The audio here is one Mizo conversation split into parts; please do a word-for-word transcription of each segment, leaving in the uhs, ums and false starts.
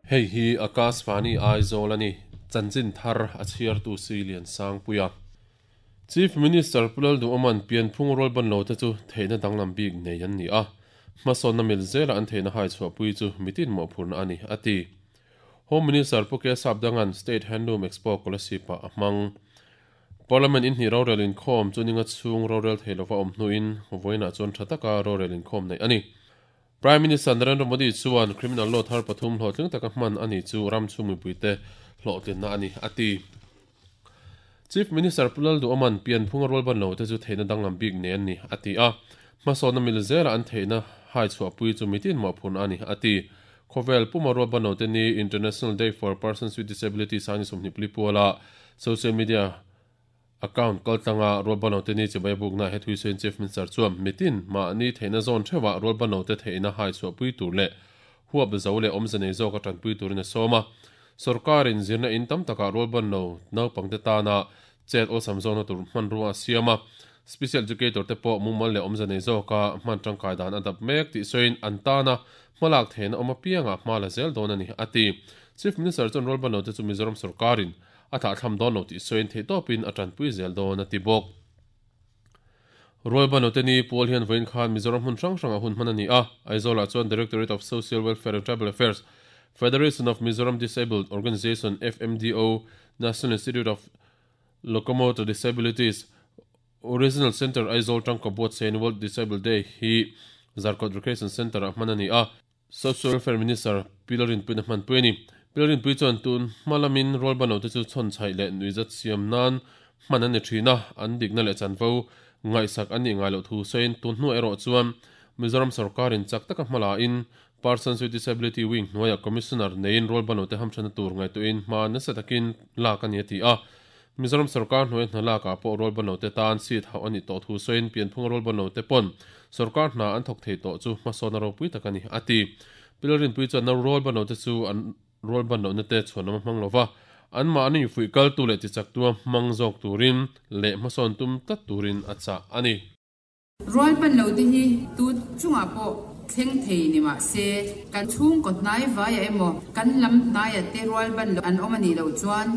Hei hi Akashvani Aizawl ani chanchin thar a chhiar tu Silian Sangpuia. Chief Minister Pulal du Oman pianphung rol ban lo te chu theina danglam bik nei an ni a. Hmasawn na mil zela an theina hai chhuah pui chu mitin mo phurna ani ati. Home Minister Puke Sapdangan State Handloom Expo Kolasipa ahmang. Parliament in hi rorel in khom chuninga chung rorel theilova om hnuin voina chuan thataka rorel in khom nei ani. Prime Minister Narendra Modi chuan criminal law thar pathum hlawhtling taka hman ani chu ram chhumi puite hlawhtlin na ani ati. Chief Minister Pulal du Oman pianphung rol ban lo te chu theina danglam bik ne ani ati a. Hmasawn na mil zela an theina hai chhuah pui chu mitin mo phun ani ati. Khovel puma rol ban lo te ni International Day for Persons with Disabilities ani sumni plipuala social media account kaltanga rol ban lo te ni chibai bukna he thui sen Chief Minister chuan mitin ma ni theina zone thewa rol ban lo te theina hai chhuah pui tur le huap zo le omzane zo ka tan pui turin a soma. Sarkarin zirna in tam taka rol ban lo naupangte tana chet o samzona tur hman ruwa siama. Special educator te pawh mumal le omzane zo ka hman tangkai dan adap mek ti soin antana hmalak theina awm apianga hma la zel dawn ani ati. Chief Minister chuan rol ban lo te chu Mizoram sarkarin a thah thlam dawn lo ti soin thei tawpin a tanpui zel dawn ati bawk. Rol ban lo te ni pawl hian vawiin khan Mizoram hmun hrang hrang a hun hman ani a. Aizawl ah chuan Directorate of Social Welfare and Tribal Affairs, Federation of Mizoram Disabled Organization F M D O, National Institute of Locomotor Disabilities, Original Center Aizawl tangka buat sein World Disabled Day hi Zarkawt Recreation Center a hman ani a. Social Welfare Minister Pilarin Puina hman pui ani. Pilarin Pui chuan tun hmalamin rol ban lo te chu chhawn chhaih leh nuizat siam nan hman ani thina an dikna leh chanvo ngaihsak ani ngai loh thu sain tun hnu erawh chuan Mizoram sarkarin chak taka hmala in Persons with Disability Wing hnuaia Commissioner nein rol ban lo te hamthana tur ngai tuin hma nasa takin lak ani ati a. Mizoram sarkar hnuai hna lak ah pawh rol ban lo te tan seat hauh ani tawh thu sain pianphung rol ban lo te pawn sarkar hna an thawk thei tawh chu hmasawn a ropui tak ani ati. Pilarin Pui chuan na rol ban lo te chu an rol ban lo na te chhuan a hmang lova an ma ani fui kal tu leh ti chak tua hmang zawk turin leh hmasawn tum tlat turin a chah ani. Rol ban lo te hi tu chunga pawh thleng thei ni ma se kan chhung ko hnai vai a emaw kan lam hnai a te rol ban lo an awm ani lo chuan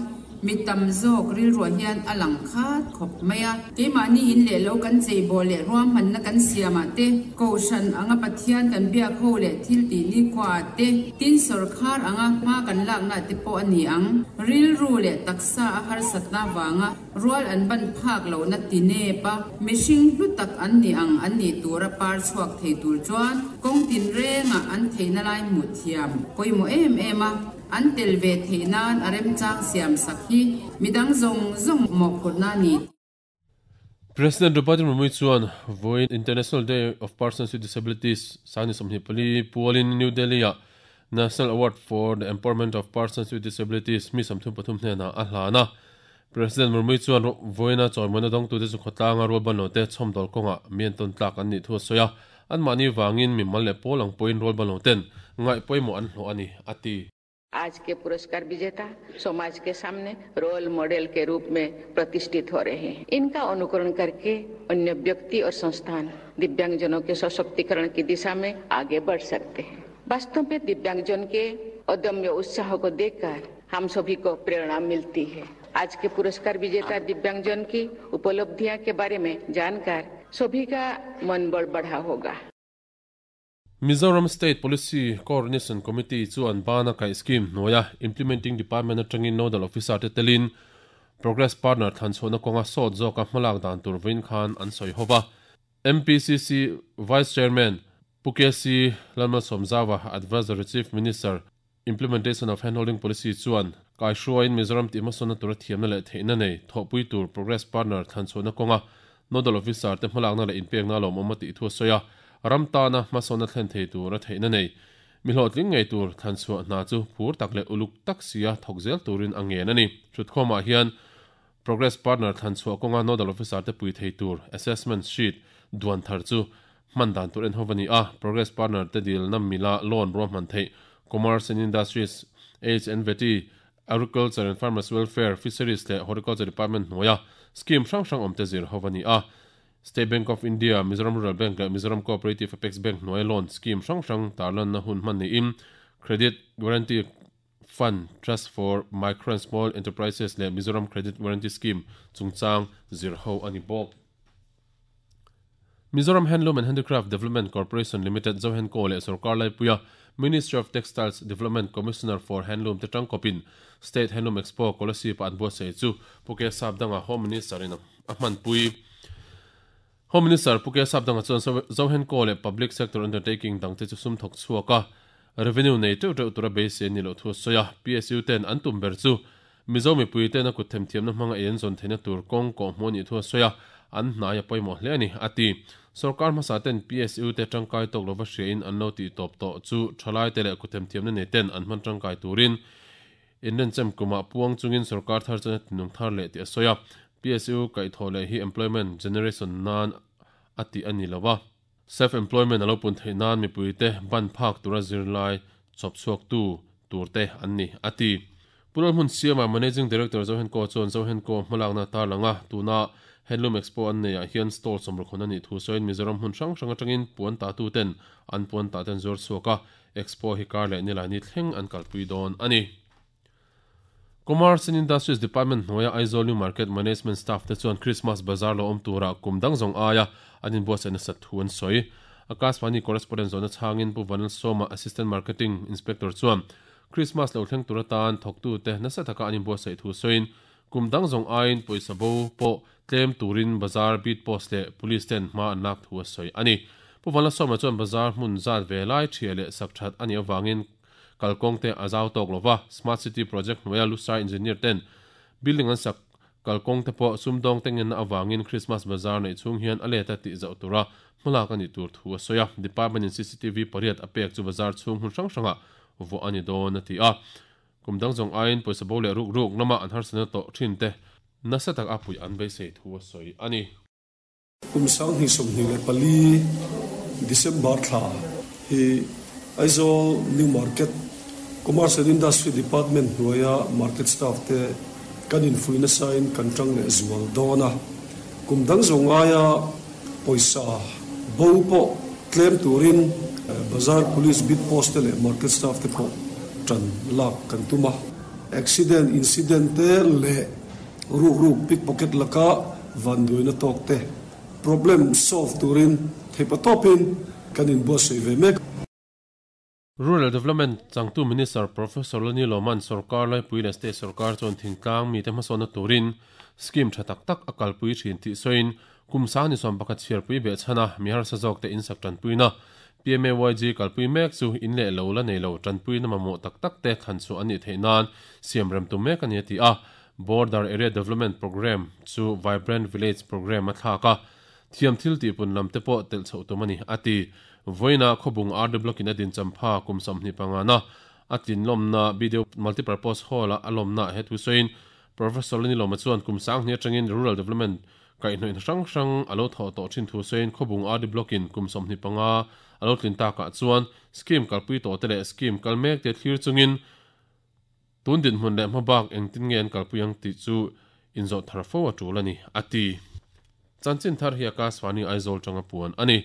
mi tam zawk ril ruah hian a lang khat khawp mai a. Keimahni in leh lo kan chei bawh leh ruam hmanna kan siamah te kohhran anga Pathian kan biak ho leh thil tih ni khua te tin sarkar anga hma kan lakna te pawh ani ang. Ril ru leh taksa a harsatna wanga rual an ban phak lo na ti nepa mihring hlu tak an ni ang an ni tura par chhuak thei tur chuan kawng tin renga an theina lai hmuh thiam pawimawh em em a. An tel ve theinan a remchang siam sak hi midang zawng zawng mawh phurna ni. President Draupadi Murmu chuan vawiin International Day of Persons with Disabilities sani sawmhnih pali pualin New Delhi ah National Award for the Empowerment of Persons with Disabilities mi sawmthum pathum hnenah a hlan a. President Murmu chuan vawiina chawimawina dawng tute chu khawtlanga rol ban lo te chhawmdawl kawngah mian tawn tlak an nih thu a sawi a. An mahni wangin mi mal leh pawl ang pawhin rol ban lo ten ngaih pawimawh an hlawh ani ati. आज के पुरस्कार विजेता समाज के सामने role model के रूप में प्रतिष्ठित हो रहे हैं। इनका अनुकरण करके अन्य व्यक्ति और संस्थान दिव्यांगजनों के सशक्तिकरण की दिशा में आगे बढ़ सकते हैं। वास्तव में दिव्यांगजन के अदम्य उत्साह को देखकर हम सभी को प्रेरणा मिलती है। आज के पुरस्कार विजेता दिव्यांगजन की उपलब्धियां के बारे में जानकर सभी का मनोबल बढ़ा होगा। Mizoram State Policy Coordination Committee chuan bana kai scheme noya implementing department atangin nodal officer te telin progress partner thanchona konga sawt zawka hmalak dan tur vawiin khan an sawi hova. M P C C Vice Chairman Pukesi Lalmalsawmzawa Advisory Chief Minister Implementation of Handholding Policy chuan kai hruain Mizoram ti hmasawna tura thiamna leh theihna nei thawhpui tur progress partner thanchona konga nodal officer te hmalakna leh inpekna lawm awm a tih thu a sawi a. Ramtana hmasawna thlen thei tur a theihna nei mi hlawhtling ngei tur thanchhuah hna chu phur tak leh uluk tak sia thawk zel turin a ngen ani. Thutkhawmah hian progress partner thanchhuah kawnga nodal officer te pui thei tur assessment sheet duan thar chu hman dan tur en ho ani a. Progress partner te dil na mila loan ruam hman thei Commerce and Industries, H and V T, Agriculture and Farmers Welfare, Fisheries leh Horticulture Department hnuaia scheme hrang hrang awm te zir ho ani a. State Bank of India, Mizoram Rural Bank leh Mizoram Cooperative Apex Bank hnuai loan scheme hrang hrang tarlan na hun hman niin credit guarantee Fund Trust for Micro and Small Enterprises leh Mizoram Credit Guarantee Scheme chungchang zir ho a ni bawk. Mizoram Handloom and Handicraft Development Corporation Limited Zohenco leh Sorkar Laipuia Ministry of Textiles Development Commissioner for Handloom te tangkawpin State Handloom Expo Kolasib an buatsaih chu Pu K Sapdanga Home Minister in a hmanpui. Home Minister Pu K Sapdanga chuan Zohenco leh Public Sector Undertaking dangte chu sum thawk chhuak a, revenue nei teuh teuh tura beisei a ni loh thu a sawi a. P S U ten an tum ber chu Mizo mipui tena kut themthiamna hmanga ei an zawn theihna tur kawng kawh hmuh a nih thu a sawi a, an hnai a pawimawh hle a ni, a ti. Sorkar hmasa ten P S U te tangkai tawk lova hriain an lo tih tawp tawh chu thalai te leh kut themthiamna nei ten an hman tangkai turin inrenchem kumah puang chungin sorkar thar chuan a tinung thar leh tih a sawi a. P S U kaihthawh leh hi employment generation nan a tih a ni lo a. Self-employment a lo pun theih nan mipui te ban phak tura zirlai chawp chhuak tu tur te an ni, a ti. Pulal hmun siama Managing Director Zohenco chuan Zohenco hmalakna tarlanga tuna Handloom Expo an nei ah hian stall sawmrukhun a nih thu sawiin Mizoram hmun hrang hrang atangin puan ta tu ten an puan ta ten zuar chhuak a, Expo hi kar leh nilai ni thleng an kalpui dawn a ni. Commerce and Industries Department hnuaia Aizawl New Market Management staff te chuan Christmas Bazaar lo awm tura kum dang zawng aia an inbuatsaih nasa thu an sawi. Akashvani correspondent zawhna chhangin Pu Vanal Sawma Assistant Marketing Inspector chuan Christmas lo thleng tura tan thawktu te nasa taka an inbuatsaih thu sawiin kum dang zawng aiin pawisa bo pawh tlem turin bazaar beat post leh police ten hma an lak thu a sawi a ni. Pu Vanal Sawma chuan bazaar hmun zat ve lai thia leh sak that a nih avangin kalkawng te a zau tawk lova Smart City Project hnuaia Lusai Engineer ten building an sak kalkawng te pawh sumdawng te ngenna avangin Christmas Bazaar nei chung hian a leta tih zauh tura hmalak a nih tur thu a sawi a. Department in C C T V pariat a pek chu bazaar chhung hmun hrang hrangah vawh a ni dawn a ti a. Kum dang zawng aiin pawisa bo leh ruk ruk lama an harsana tawh thin te nasa tak a pui an beisei thu a sawi a ni. Kum sang hnih sawmhnih leh pali December thla hi Aizawl New Market Commerce and Industry Department hnuaia market staff te kan infuina sain kan tang leh zual dawn a. Kum dang zawng aia pawisa bo pawh tlem turin bazaar police beat post te leh market staff te pawh tan lak kan tum a. Accident incident te leh ruk ruk pickpocket laka van duaina tawk te problem solve turin theipa tawpin kan inbuatsaih ve mek. Rural Development Changtu Minister Professor Lani Loman Sorkar Laipui leh State Sorkar chuan thingtlang mi te hmasawnna turin scheme tha tak tak a kalpui thin tih sawiin kum sang ni sawm pakhat chhiarpui beh chhana mi harsa zawk te insak tanpuina P M A Y G kalpui mek chu in leh lo la nei lo tanpuina mamawh tak tak te thlan chu an nih theih nan siam rem tu mek a ni a ti a. Border Area Development Program chu Vibrant Village Program a thlak a, thiam thil tihpun lam te pawh telh chhoh tum a ni a ti. Voina khawbung R D Block in a din champha kum sawmhnih pangana a tlinlawmna video multipurpose hall a a lawmna he thu sawiin Professor Lani Lawma chuan kum sang hnih atangin Rural Development kaihhnawih hrang hrang a lo thawh tawh thin thu sawiin khawbung R D Block in kum sawmhnih panga a lo tlin takah chuan scheme kalpui tawh te leh scheme kal mek te thlir chungin tun din hmun leh hmabak engtin nge an kalpui ang tih chu inzawh thar fo a tul a ni a ti. Chanchin thar hi Akashvani Aizawl tanga puan a ni.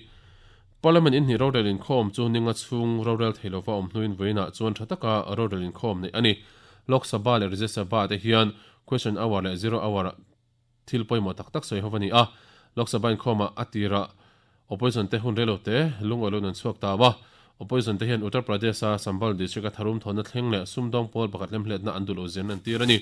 Parliament in hnih rorel inkhawm chu ninga chhung rorel theilova awm hnuin vawiinah chuan tha taka rorel inkhawm nei a ni. Lok Sabha leh Rajya Sabha te hian question hour leh zero hour thil pawimawh tak tak sawi ho a ni a. Lok Sabha inkhawmah a tira opposition te hun relo te lungawi lo an chhuak ta a. Opposition te hian Uttar Pradesh a Sambhal district a tharum thawna thleng leh sumdawng pawl pakhat lemhletna an duh lo zen an tir a ni.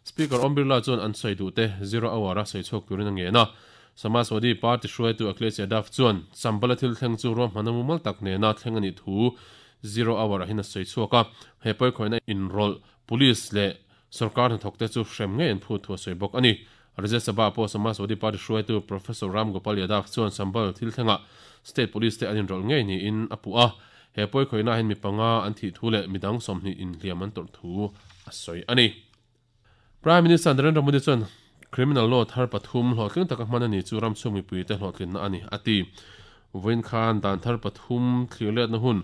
Speaker Om Birla chuan an sawi duh te zero hour a sawi chhuak turin a ngen a. Samajwadi Party hruaitu Akhilesh Yadav chuan Sambhal a thil thleng chu ruahman a mumal tak nena thleng a nih thu zero hour a hin a sawi chhuak a. He pawi khawihna inrawlh police leh sarkar hnathawk te chu hrem ngei an phut thu a sawi bawk a ni. Rajya Sabha pawh Samajwadi Party hruaitu Professor Ram Gopal Yadav chuan Sambhal thil thlengah state police te an inrawlh ngei niin a puh a. He pawi khawihna hin mi panga an thih thu leh midang sawmhnih inhliam an tawrh thu a sawi a ni. Prime Minister Narendra Modi chuan Criminal law thar pathum hlawhtling taka hman a ni chu ram chhung mipui te hlawhtlinna a ni a ti. Vawiin khan dan thar pathum thlir-letna hun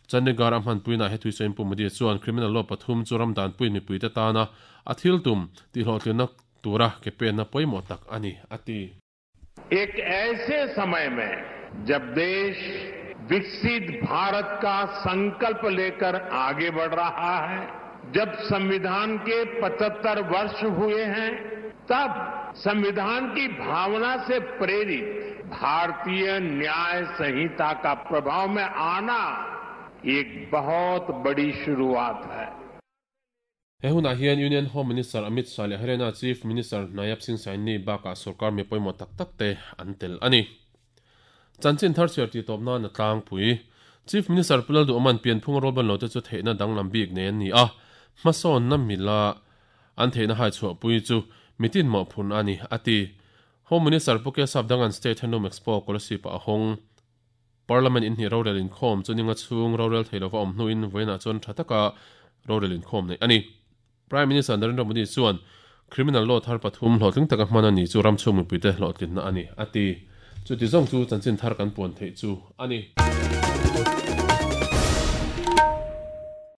Chandigarh a hmanpuina he thui sawiin Pu Modi chuan criminal law pathum chu ram danpui mipui te tana a thil tum tih hlawhtlinna tura ke penna pawimawh tak a ni a ti. एक ऐसे समय में जब देश विकसित भारत का संकल्प लेकर आगे बढ़ रहा है, जब संविधान के पचहत्तर वर्ष हुए हैं, तब संविधान की भावना से प्रेरित भारतीय न्याय संहिता का प्रभाव में आना एक बहुत बड़ी शुरुआत है। He hunah hian Union Home Minister Amit Shah leh Haryana Chief Minister Nayab Singh Saini bakah sorkar mi pawimawh tak tak te an tel a ni. Chanchin thar chhiar tih tawp nan a tlangpui. Chief Minister Pu Lalduhawman pianphung rual ban lo te chu theihna danglam bik nei an ni a, hmasawnna mila an theihna hai chhuahpui chu mitin mawhphurhna a ni, a ti. Home Minister Pu Kesap Dangan State Handloom Expo Kolasib ah a hawng. Parliament inhnih rorel inkhawm chu ninga chhung rorel thei lova awm hnuin vawiinah chuan tha taka rorel inkhawm neih a ni. Prime Minister Narendra Modi chuan criminal law thar pathum hlawhtling taka hman a ni chu ram chhung mipuite hlawhtlinna a ni, a ti. Chuti zawng chu chanchin thar kan puan theih chu a ni.